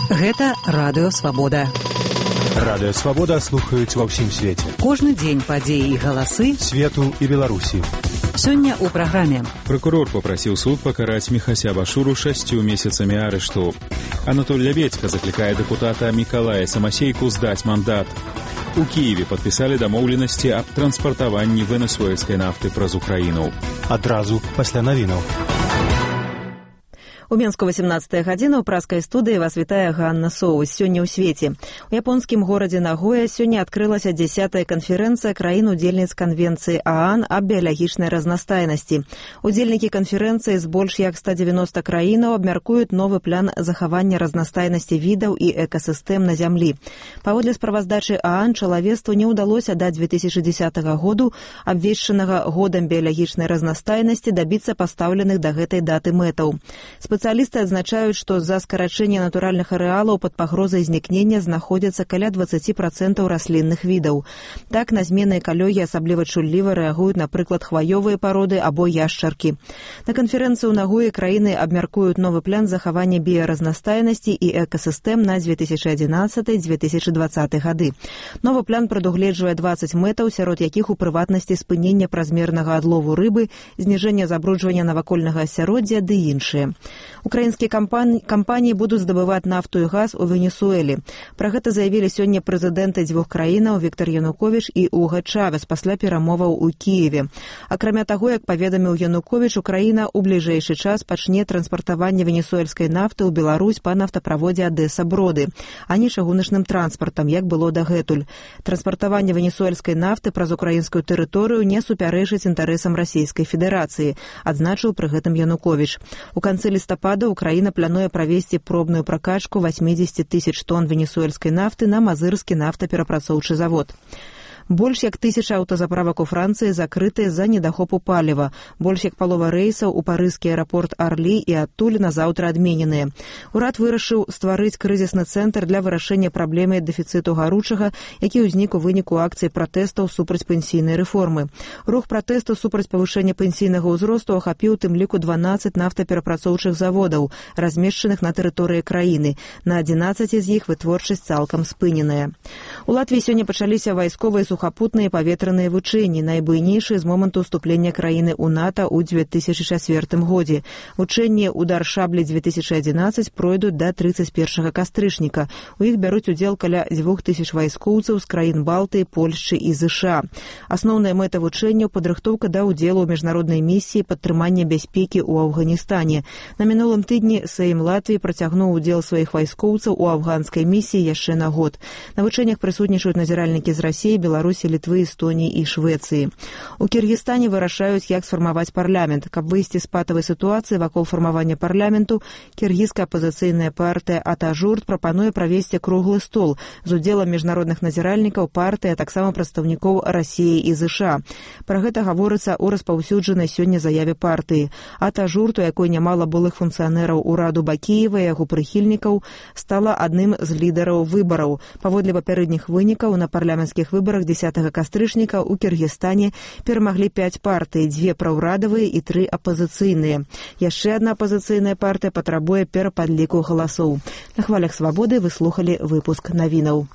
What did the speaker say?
Гэта Радыё Свабода. Радыё Свабода слухаюць ва ўсім свеце. Кожны дзень падзеі і галасы свету і Беларусі. Сёння ў праграме. Прокурор папрасіў суд пакараць Міхася Башуру 6 месяцамі арышту. Анатоль Лявецька заклікае дэпутата Мікалая Самасейку здаць мандат. У Киеве падпісалі дамоўленасці аб транспартаванні венесуэльскай нафты праз Украіну. Адразу пасля навінаў. У Менску 18 гадзіна ў праскай студыі вас вітае Ганна Соус. Сёння ў свеце. У японскім горадзе Нагоя сёння адкрылася 10-я канферэнцыя краін-удзельніц канвенцыі ААН аб біялагічнай разнастайнасці. Удзельнікі канферэнцыі з больш як 190 краінаў абмяркуюць новы план захавання разнастайнасці відаў і экасістэм на зямлі. Паводле справаздачы ААН чалавецтву не ўдалося да 2010 году, абвешчанага годам біялагічнай разнастайнасці, дабіцца пастаўленых да гэтай даты мэтаў. Спецыялісты адзначаюць, што з-за скарачэння натуральных арэалаў пад пагрозай знікнення знаходзяцца каля 20% раслінных відаў. Так, на змены экалогіі асабліва чулліва рэагуюць, напрыклад, хваёвыя пароды або яшчаркі. На канферэнцыі ў Нагоі краіны абмяркуюць новы план захавання біяразнастайнасці і экасістэм на 2011-2020 гады. Новы план прадугледжвае 20 мэтаў, сярод якіх у прыватнасці спынення празмернага адлову рыбы, зніжэння забруджвання навакольнага асяроддзя ды іншыя. Украінскія кампаніі будуць здабываць нафту і газ у Венесуэлі. Пра гэта заявілі сёння прэзідэнты дзвюх краінаў Віктар Януковіч і Уга Чавес пасля перамоваў у Кіеве. Акрамя таго, як паведаміў Януковіч, Украіна ў бліжэйшы час пачне транспартаванне венесуэльскай нафты ў Беларусь па нафтаправодзе Адэса-Броды, а не чыгуначным транспартам, як было дагэтуль. Транспартаванне венесуэльскай нафты праз украінскую тэрыторыю не супярэчыць інтарэсам Расійскай Федэрацыі, адзначыў пры гэтым Януковіч. У канцы лістапада Украіна плануе правесці пробную пракачку 80 тысяч тонн венесуэльскай нафты на мазырскі нафтаперапрацоўчы завод. Больш як 1000 аўтазаправак у Францыі закрытыя з-за недахопу паліва. Больш як палова рэйсаў у парызкі аэрапорт Арлі і адтуль на заўтра адмененыя. Урад вырашыў стварыць крызісны цэнтр для вырашэння праблемы дэфіцыту гаручага, які ўзнік у выніку акцый пратэстаў супраць пенсійнай рэформы. Рух пратэсту супраць павышэння пенсійнага ўзросту ахапіў тым ліку 12 нафтаперапрацоўчых заводаў, размешчаных на тэрыторыі краіны. На 11 з іх вытворчасць цалкам спыненая. У Латвіі сёння пачаліся вайсковыя сухапутныя паветраныя вучэнні, найбуйнейшыя з моманту ўступлення краіны ў НАТО ў 2004 годзе. Вучэнні «Удар шаблі-2011» пройдуць да 31 кастрычніка. У іх бяруць удзел каля 2000 вайскоўцаў з краін Балтыі, Польшчы і ЗША. Асноўная мэта вучэнняў – падрыхтоўка да ўдзелу ў міжнароднай місіі падтрымання бяспекі ў Афганістане. На мінулым тыдні Сейм Латвіі працягнуў удзел сваіх вайскоўцаў у афганскай місіі яшчэ на год. На вучэннях прысутнічаюць назіральнікі з Расіі, Беларусі, Літвы, Эстоніі і Швецыі. У Кіргізстане вырашаюць, як сфармаваць парламент. Каб выйсці з патавай сітуацыі вакол фармавання парламенту, кіргізская апазіцыйная партыя «Атажурт» прапануе правесці круглы стол з удзелам міжнародных назіральнікаў партыі, а таксама прадстаўнікоў Расіі і ЗША. Пра гэта гаворыцца ў распаўсюджанай сёння заяве партыі. «Атажурт», у якой нямала былых функцыянераў ураду Бакіева і яго прыхільнікаў, стала адным з лідараў выбараў. Паводле папярэдніх вынікаў на парламенцкіх выбарах 10 кастрычніка ў Кіргізстане перамаглі 5 партый, 2 праўрадавыя і 3 апазіцыйныя. Яшчэ адна апазіцыйная партыя патрабуе перападліку галасоў. На хвалях Свабоды вы слухалі выпуск навінаў.